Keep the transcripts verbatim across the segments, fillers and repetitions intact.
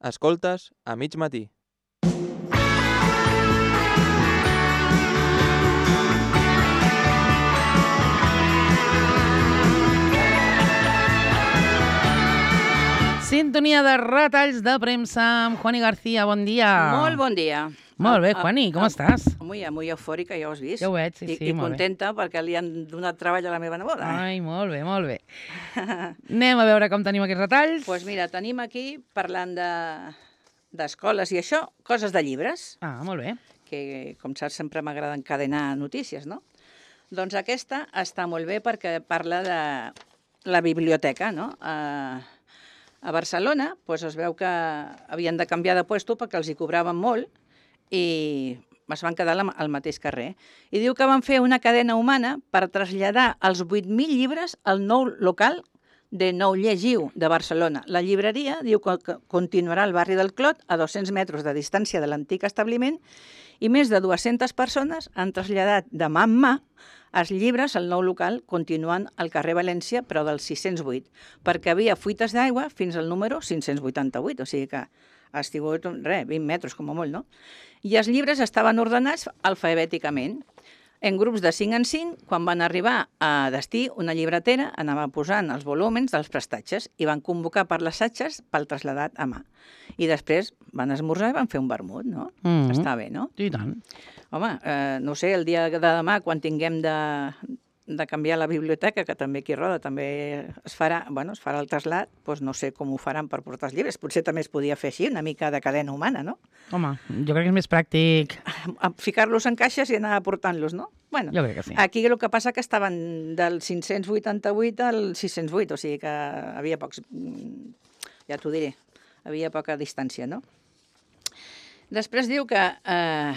Escoltes a mig matí. Sintonia de retalls de premsa amb Juani García. Bon dia. Molt bon dia. Molt bé, Juani, com estàs? Muy, muy eufòrica, ja ho has vist. Ja ho veig, sí, I, sí, I molt bé. contenta perquè li han donat treball a la meva neboda. Ai, molt bé, molt bé. Anem a veure com tenim aquests retalls. Doncs pues mira, tenim aquí, parlant de d'escoles i això, coses de llibres, Ah, molt bé. que com saps sempre m'agrada encadenar notícies, no? Doncs aquesta està molt bé perquè parla de la biblioteca, no? A, a Barcelona doncs es veu que havien de canviar de puesto perquè els hi cobraven molt i es van quedar al mateix carrer. I diu que van fer una cadena humana per traslladar els vuit mil llibres al nou local de Nou Llegiu, de Barcelona. La llibreria diu que continuarà al barri del Clot, a dos-cents metres de distància de l'antic establiment, i més de dues-centes persones han traslladat de mà en mà els llibres al nou local, continuant al carrer València, però del sis-cents vuit, perquè havia fuites d'aigua fins al número cinc-cents vuitanta-vuit, o sigui que ha sigut, res, vint metres com a molt, no? I els llibres estaven ordenats alfabèticament, en grups de cinc en cinc. Quan van arribar a destí, una llibretera anava posant els volúmens dels prestatges i van convocar per les satges pel traslladat a mà. I després van esmorzar i van fer un vermut, no? Mm-hmm. Està bé, no? I tant. Home, eh, no sé, el dia de demà, quan tinguem de, de canviar la biblioteca, que també aquí a Roda també es farà, bueno, es farà el trasllat, doncs no sé com ho faran per portar els llibres. Potser també es podia fer així, una mica de cadena humana, no? Home, jo crec que és més pràctic. Ficar-los en caixes i anar portant-los, no? Bueno, Jo crec que sí. aquí el que passa que estaven del cinc-cents vuitanta-vuit al sis-cents vuit, o sigui que havia pocs, ja t'ho diré, havia poca distància, no? Després diu que eh,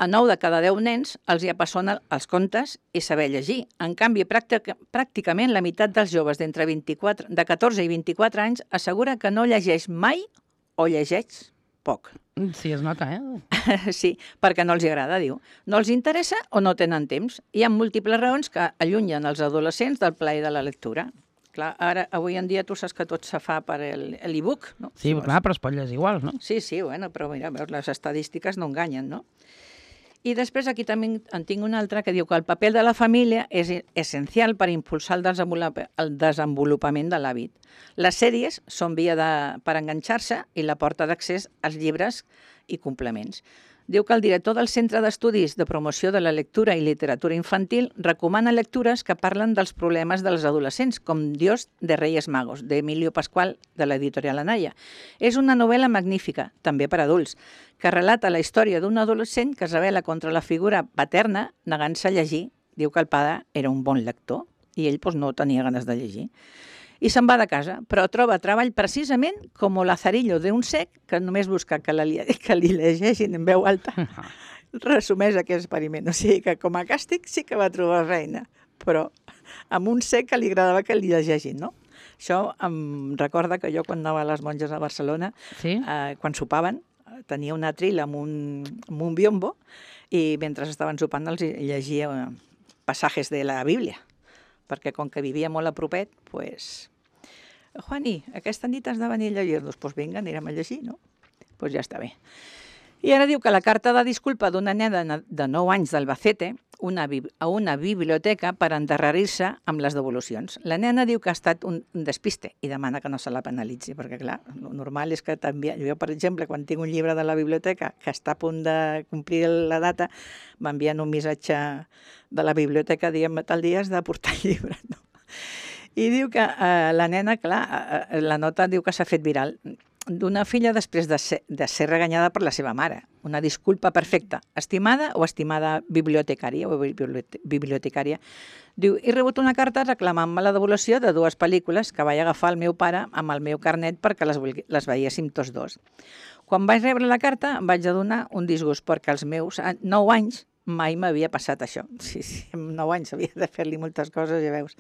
a nou de cada deu nens els hi apassona els contes i saber llegir. En canvi, pràctic, pràcticament la meitat dels joves d'entre vint-i-quatre, de catorze i vint-i-quatre anys assegura que no llegeix mai o llegeix poc. Sí, es nota, eh? Sí, perquè no els agrada, diu. No els interessa o no tenen temps. Hi ha múltiples raons que allunyen els adolescents del plaer de la lectura. Clar, ara, avui en dia, tu saps que tot se fa per l'e-book, no? Sí, clar, però es pot llegir igual, no? Sí, sí, bueno, però mira, veus, les estadístiques no enganyen, no? I després aquí també en tinc una altra que diu que el paper de la família és essencial per impulsar el desenvolupament, el desenvolupament de l'hàbit. Les sèries són via de, per enganxar-se i la porta d'accés als llibres i complements. Diu que el director del Centre d'Estudis de Promoció de la Lectura i Literatura Infantil recomana lectures que parlen dels problemes dels adolescents, com Dios de Reyes Magos, d'Emilio Pascual, de l'editorial Anaya. És una novel·la magnífica, també per adults, que relata la història d'un adolescent que es rebel·la contra la figura paterna negant-se a llegir. Diu que el pare era un bon lector i ell doncs, no tenia ganes de llegir. I se'n va de casa, però troba treball precisament com Lazarillo d'un cec que només busca que, la, que li llegeixin en veu alta. Resumeix aquest experiment. O sigui que com a càstig sí que va trobar reina, però amb un cec que li agradava que li llegeixin, no? Això em recorda que jo quan anava a les monges a Barcelona, Sí? eh, quan sopaven, tenia un atril amb un, amb un biombo i mentre estaven sopant els llegia passajes de la Bíblia, perquè com que vivia molt a propet, doncs... Pues, Juani, aquesta nit has de venir a llegir-nos. Doncs pues vinga, anirem a llegir, no? Doncs pues ja està bé. I ara diu que la carta de disculpa d'una nena de nou anys d'Albacete una, a una biblioteca per endarrerir-se amb les devolucions. La nena diu que ha estat un, un despiste i demana que no se la penalitzi, perquè clar, el normal és que també... Jo, per exemple, quan tinc un llibre de la biblioteca que està a punt de complir la data, m'envien un missatge de la biblioteca dient tal dia has de portar el llibre, no? I diu que eh, la nena, clar, eh, la nota diu que s'ha fet viral d'una filla després de ser, de ser reganyada per la seva mare. Una disculpa perfecta. Estimada o estimada bibliotecària o bibliotecària. Diu, he rebut una carta reclamant-me la devolució de dues pel·lícules que vaig agafar el meu pare amb el meu carnet perquè les, les veiéssim tots dos. Quan vaig rebre la carta em vaig adonar un disgust perquè als meus nou anys mai m'havia passat això. Sí, sí, amb nou anys havia de fer-li moltes coses, ja veus.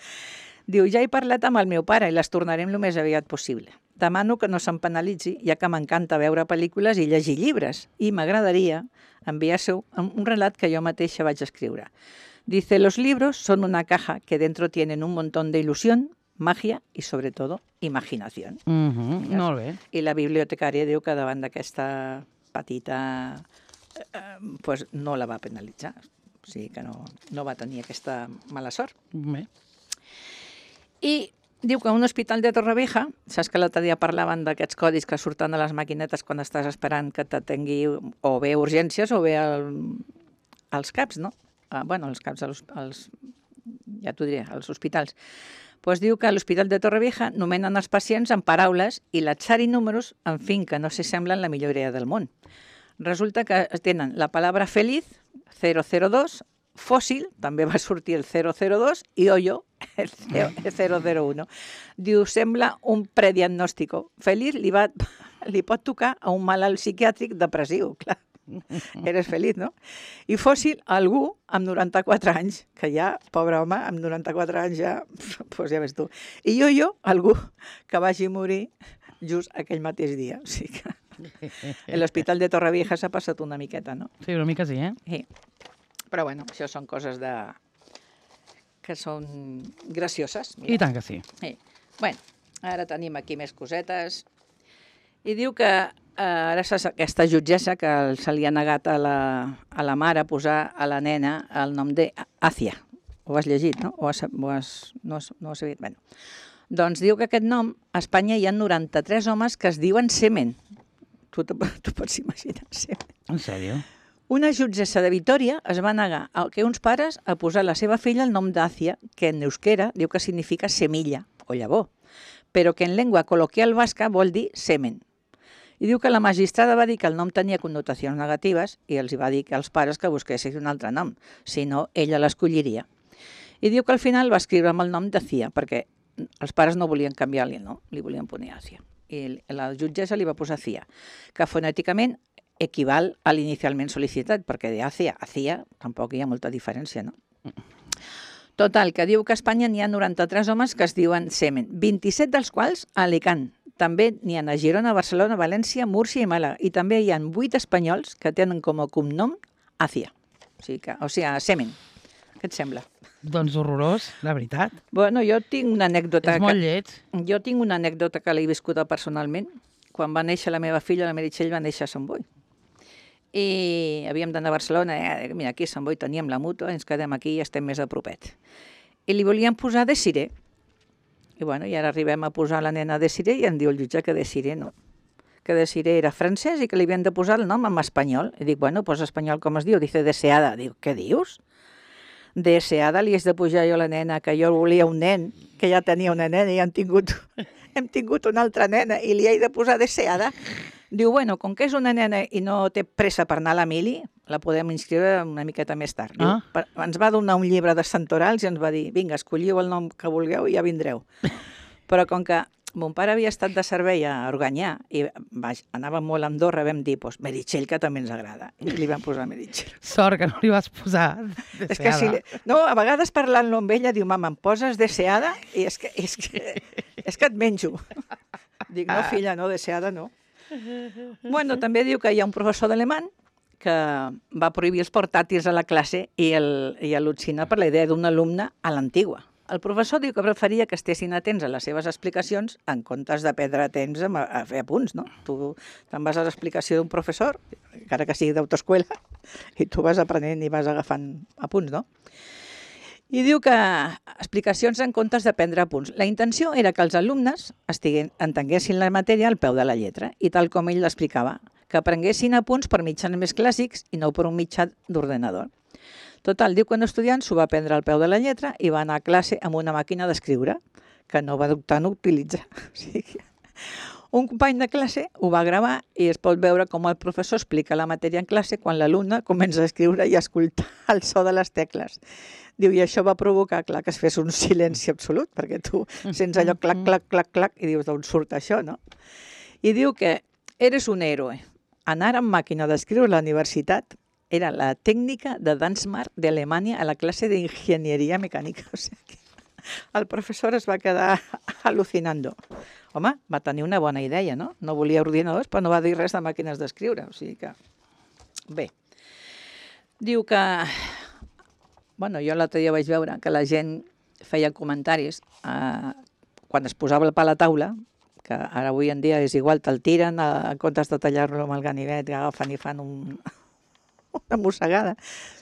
Diu, ja he parlat amb el meu pare i les tornarem el més aviat possible. Demano que no se'm penalitzi, ja que m'encanta veure pel·lícules i llegir llibres, i m'agradaria enviar-se un relat que jo mateixa vaig escriure. Dice, los libros son una caja que dentro tienen un montón de ilusión, magia i, sobretot, imaginació. Mm -hmm. Molt bé. I la bibliotecària diu que davant d'aquesta petita... Eh, pues no la va penalitzar. O sigui que no, no va tenir aquesta mala sort. Bé. I diu que un hospital de Torrevieja, saps que l'altre dia parlaven d'aquests codis que surten a les maquinetes quan estàs esperant que t'atengui o bé urgències o bé el, als CAPs, no? Ah, bueno, els CAPs, els, els, ja t'ho diré, als hospitals. Pues diu que a l'Hospital de Torrevieja nomenen els pacients amb paraules i l'atzar i números, en fi, que no s'assemblen la millor idea del món. Resulta que tenen la paraula feliz, zero zero dos, fòssil, també va sortir el zero zero dos, i hoyo, el zero zero uno. Diu, sembla un prediagnòstico. Feliç li, va, li pot tocar a un malalt psiquiàtric depressiu, clar. Eres feliç, no? I fòssil, algú amb noranta-quatre anys, que ja, pobre home, amb noranta-quatre anys ja, doncs ja ves tu. I yo-yo, algú que vagi morir just aquell mateix dia. O sigui que l'Hospital de Torrevieja s'ha passat una miqueta, no? Sí, una mica sí, eh? Sí. Però bueno, això són coses de... que són gracioses. Mira. I tant que sí. Sí. Bueno, ara tenim aquí més cosetes. I diu que eh, ara saps aquesta jutgessa que se li ha negat a la, a la mare posar a la nena el nom de Àcia. Ho has llegit, no? O has, o has, no, has, no ho has sabut? Bueno. Doncs diu que aquest nom, a Espanya hi ha noranta-tres homes que es diuen Semen. Tu t'ho pots imaginar, Semen. En sèrio? Una jutgessa de Vitòria es va negar a que uns pares a posar a la seva filla el nom d'Àcia, que en euskera diu que significa semilla o llavor, però que en llengua col·loquial basca vol dir semen. I diu que la magistrada va dir que el nom tenia connotacions negatives i els va dir que als pares que busquessin un altre nom, si no, ella l'escolliria. I diu que al final va escriure amb el nom d'Àcia, perquè els pares no volien canviar-li el nom, li volien posar Àcia. I la jutgessa li va posar Cia, que fonèticament equival a l'inicialment sol·licitat, perquè de Àcia a Cia tampoc hi ha molta diferència, no? Total, que diu que a Espanya n'hi ha noranta-tres homes que es diuen Semen, vint-i-set dels quals a Alicant. També n'hi ha a Girona, Barcelona, València, Múrcia i Màlaga. I també hi ha vuit espanyols que tenen com a cognom Àcia, o sigui, que, o sigui, Semen. Què et sembla? Doncs horrorós, la veritat. Bueno, jo tinc una anècdota... És molt que... lleig. Jo tinc una anècdota que l'he viscuda personalment. Quan va néixer la meva filla, la Meritxell va néixer a Sant Boi. I havíem d'anar a Barcelona, eh, mira, aquí a Sant Boi teníem la mútua, ens quedem aquí i estem més a propet. I li volíem posar Desiré. I bueno, i ara arribem a posar la nena Desiré i em diu el jutge que Desiré no. Que Desiré era francès i que li havien de posar el nom en espanyol. I dic, bueno, pues espanyol com es diu? Dice Deseada. Diu, què dius? Deseada li has de pujar jo a la nena, que jo volia un nen, que ja tenia una nena i hem tingut, hem tingut una altra nena i li he de posar Deseada. Diu, bueno, com que és una nena i no té pressa per anar a la mili, la podem inscriure una miqueta més tard. Diu, Ah. per, ens va donar un llibre de santorals i ens va dir, vinga, escolliu el nom que vulgueu i ja vindreu. Però com que mon pare havia estat de servei a Organyà i vaig, anava molt a Andorra, vam dir, doncs, Meritxell, que també ens agrada. I li vam posar Meritxell. Sort que no li vas posar Deseada. És que si... Li... No, a vegades parlant-lo amb ella, diu, mama, em poses Deseada? I és que, és que, és que et menjo. Dic, no, filla, no, Deseada no. Bueno, també diu que hi ha un professor d'alemany que va prohibir els portàtils a la classe i, el, i al·lucina per la idea d'un alumne a l'antigua. El professor diu que preferia que estessin atents a les seves explicacions en comptes de perdre temps a, a fer apunts, no? Tu te'n vas a l'explicació d'un professor, encara que sigui d'autoescola, i tu vas aprenent i vas agafant apunts, no? I diu que explicacions en comptes de prendre apunts. La intenció era que els alumnes estiguen, entenguessin la matèria al peu de la lletra i tal com ell l'explicava, que aprenguessin apunts per mitjans més clàssics i no per un mitjà d'ordenador. Total, diu que un estudiant s'ho va prendre al peu de la lletra i va anar a classe amb una màquina d'escriure, que no va dubtar en utilitzar. O sigui, un company de classe ho va gravar i es pot veure com el professor explica la matèria en classe quan l'alumne comença a escriure i a escoltar el so de les tecles. Diu, i això va provocar, clar, que es fes un silenci absolut, perquè tu sents allò clac, clac, clac, clac, i dius, d'on surt això, no? I diu que eres un héroe. Anar amb màquina d'escriure a la universitat era la tècnica de Dansmar d'Alemanya a la classe d'enginyeria mecànica. O sigui, el professor es va quedar al·lucinando. Home, va tenir una bona idea, no? No volia ordinadors, però no va dir res de màquines d'escriure. O sigui que... Bé. Diu que... Bueno, jo l'altre dia vaig veure que la gent feia comentaris eh, quan es posava el pa a la taula, que ara avui en dia és igual, te'l tiren, en comptes de tallar-lo amb el ganivet, agafen i fan un, una mossegada.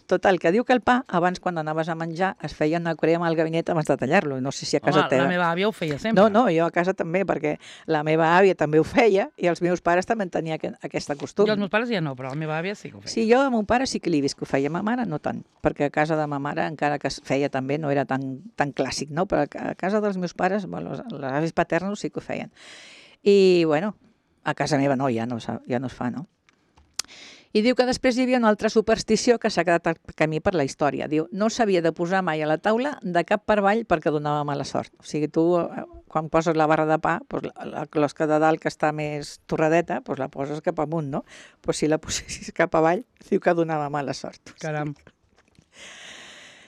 Total, que diu que el pa, abans quan anaves a menjar, es feia una crema al gabinet abans de tallar-lo. No sé si a casa Home, teva... la meva àvia ho feia sempre. No, no, jo a casa també, perquè la meva àvia també ho feia i els meus pares també tenien aquesta costum. Jo els meus pares ja no, però la meva àvia sí que ho feia. Sí, jo a mon pare sí que l'he vist que ho feia, ma mare no tant, perquè a casa de ma mare, encara que es feia també, no era tan, tan clàssic, no? Però a casa dels meus pares, bueno, les avis paternos sí que ho feien. I, bueno, a casa meva no, ja no, ja no es fa, no? I diu que després hi havia una altra superstició que s'ha quedat al camí per la història. Diu, no s'havia de posar mai a la taula de cap per avall perquè donava mala sort. O sigui, tu, quan poses la barra de pa, doncs la closca de dalt que està més torradeta, doncs la poses cap amunt, no? Doncs si la posessis cap avall, diu que donava mala sort. Caram.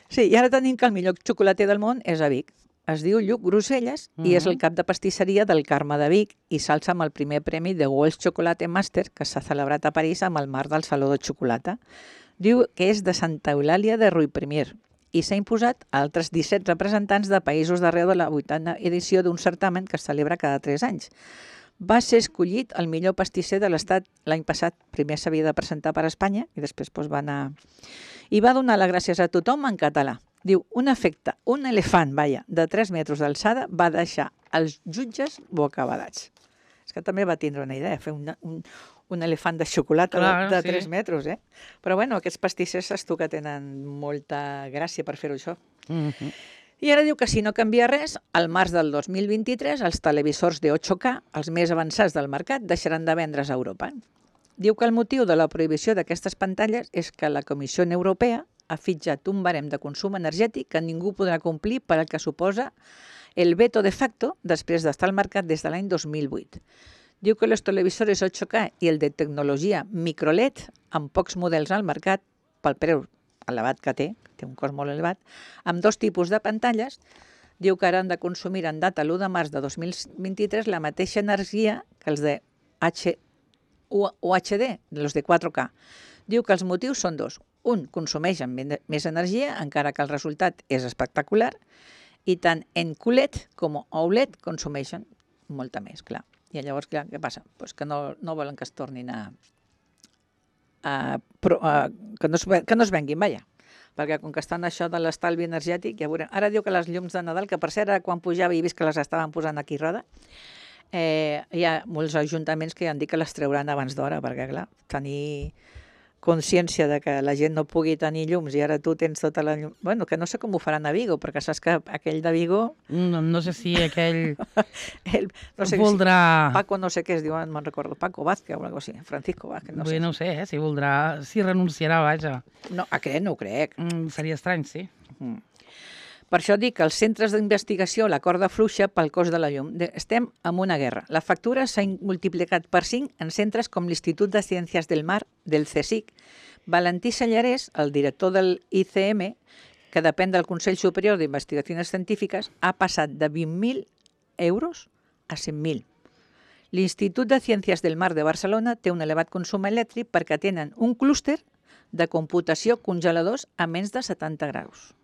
Sí, i ara tenim que el millor xocolater del món és a Vic. Es diu Lluc Groselles mm -hmm. i és el cap de pastisseria del Carme de Vic i s'alça amb el primer premi de World Chocolate Master que s'ha celebrat a París amb el marc del Saló de Xocolata. Diu que és de Santa Eulàlia de Riuprimer i s'ha imposat a altres disset representants de països d'arreu de la vuitena edició d'un certamen que es celebra cada tres anys. Va ser escollit el millor pastisser de l'Estat l'any passat. Primer s'havia de presentar per Espanya i després doncs, va anar... I va donar les gràcies a tothom en català. Diu, un efecte, un elefant, vaja, de tres metres d'alçada va deixar els jutges bocabadats. És que també va tindre una idea, fer un, un, un elefant de xocolata Clar, de, de sí. tres metres, eh? Però bueno, aquests pastissers saps tu que tenen molta gràcia per fer-ho això. Mm-hmm. I ara diu que si no canvia res, al març del dos mil vint-i-tres els televisors de ocho K, els més avançats del mercat, deixaran de vendre's a Europa. Diu que el motiu de la prohibició d'aquestes pantalles és que la Comissió Europea ha fitxat un barem de consum energètic que ningú podrà complir per al que suposa el veto de facto després d'estar al mercat des de l'any dos mil vuit. Diu que els televisors ocho K i el de tecnologia microLED, amb pocs models al mercat, pel preu elevat que té, té un cost molt elevat, amb dos tipus de pantalles, diu que ara han de consumir en data l'u de març de dos mil vint-i-tres la mateixa energia que els de H U H D, els de quatre K. Diu que els motius són dos. Un, consumeixen més energia, encara que el resultat és espectacular, i tant en Q L E D com O L E D consumeixen molta més, clar. I llavors, clar, què passa? Pues que no, no volen que es tornin a... a, a que, no es, que no es venguin, vaja. Perquè com que estan això de l'estalvi energètic, ja veurem. Ara diu que les llums de Nadal, que per cert, ara quan pujava i he vist que les estaven posant aquí a roda, eh, hi ha molts ajuntaments que ja han dit que les trauran abans d'hora, perquè, clar, tenir consciència de que la gent no pugui tenir llums i ara tu tens tota la llum... Bueno, que no sé com ho faran a Vigo, perquè saps que aquell de Vigo... No, no sé si aquell El, no sé voldrà... Si Paco no sé què es diu, no me'n recordo, Paco Vázquez o alguna cosa així, Francisco Vázquez, no Bé, sé. no ho sé, eh, si voldrà... Si renunciarà, vaja. No, aquest no ho crec. Mm, seria estrany, sí. Mm. Per això dic que els centres d'investigació, la corda fluixa pel cost de la llum. Estem en una guerra. La factura s'ha multiplicat per cinc en centres com l'Institut de Ciències del Mar, del CSIC. Valentí Sallarès, el director del I C M, que depèn del Consell Superior d'Investigacions Científiques, ha passat de vint mil euros a cent mil. L'Institut de Ciències del Mar de Barcelona té un elevat consum elèctric perquè tenen un clúster de computació congeladors a menys de setanta graus.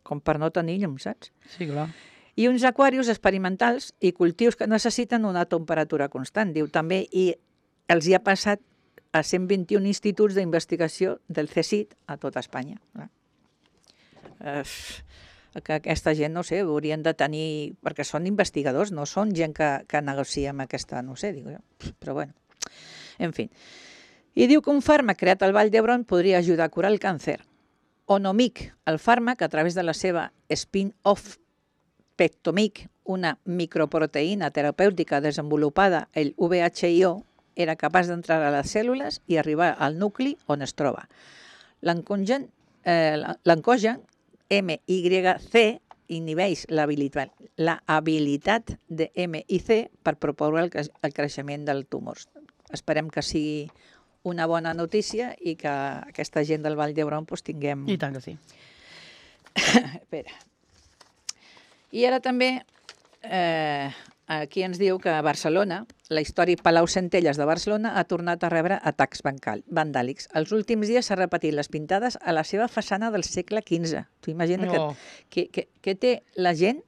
Com per no tenir llum, saps? Sí, clar. I uns aquarius experimentals i cultius que necessiten una temperatura constant. Diu també, i els hi ha passat a cent vint-i-un instituts d'investigació del CSIC a tot Espanya. Eh, que aquesta gent, no sé, haurien de tenir... Perquè són investigadors, no són gent que, que negocia amb aquesta, no sé, dic jo. Però bueno, en fi. I diu que un fàrmac creat al Vall d'Hebron podria ajudar a curar el càncer. Onomic, el fàrmac, a través de la seva spin-off Pectomic, una microproteïna terapèutica desenvolupada el V H I O, era capaç d'entrar a les cèl·lules i arribar al nucli on es troba. L'encogen eh, M Y C inhibeix l'habilitat de M I C per promoure el, el creixement del tumors. Esperem que sigui una bona notícia i que aquesta gent del Vall d'Hebron pues, tinguem... I tant que sí. Espera. I ara també eh, aquí ens diu que a Barcelona, la històric Palau Centelles de Barcelona ha tornat a rebre atacs vandàlics. Els últims dies s'ha repetit les pintades a la seva façana del segle quinze. Tu imagina no. que, que, que té la gent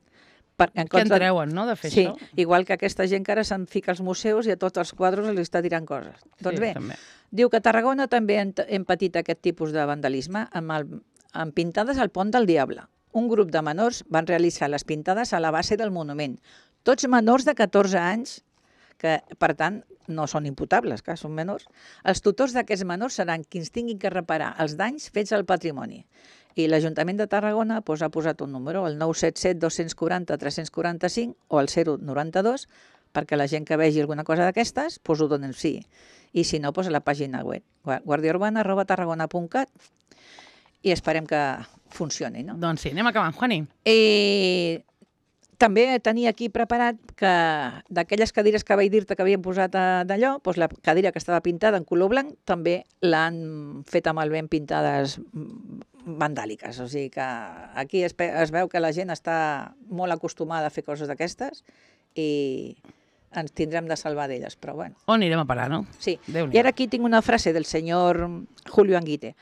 Per, en Què en treuen, no, de fer sí, això? igual que aquesta gent que ara se'n fica als museus i a tots els quadres els està tirant coses. Doncs bé, també. diu que a Tarragona també hem, hem patit aquest tipus de vandalisme amb, el, amb pintades al Pont del Diable. Un grup de menors van realitzar les pintades a la base del monument. Tots menors de catorze anys, que per tant no són imputables, que són menors. Els tutors d'aquests menors seran qui ens tinguin que reparar els danys fets al patrimoni. I l'Ajuntament de Tarragona doncs, ha posat un número, el nou set set dos quatre zero tres quatre cinc o el zero noranta-dos, perquè la gent que vegi alguna cosa d'aquestes doncs, ho denunciï. I si no, doncs, a la pàgina web, guardiaurbana arroba tarragona punt cat, i esperem que funcioni. No? Doncs sí, anem acabant, Juani. I també tenia aquí preparat que d'aquelles cadires que vaig dir-te que havien posat d'allò, doncs la cadira que estava pintada en color blanc també l'han fet amb el vent pintades vandàliques. O sigui que aquí es, es veu que la gent està molt acostumada a fer coses d'aquestes i ens tindrem de salvar d'elles, però bueno. On anirem a parar, no? Sí, Déu-n'hi-do. y ahora aquí tengo una frase del señor Julio Anguita.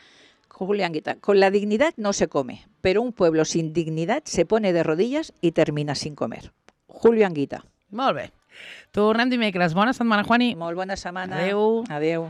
Julio Anguita, con la dignidad no se come, pero un pueblo sin dignidad se pone de rodillas y termina sin comer. Julio Anguita. Molt bé. Tornem dimecres. Bona setmana, Juani. Molt bona setmana. Adéu. Adéu.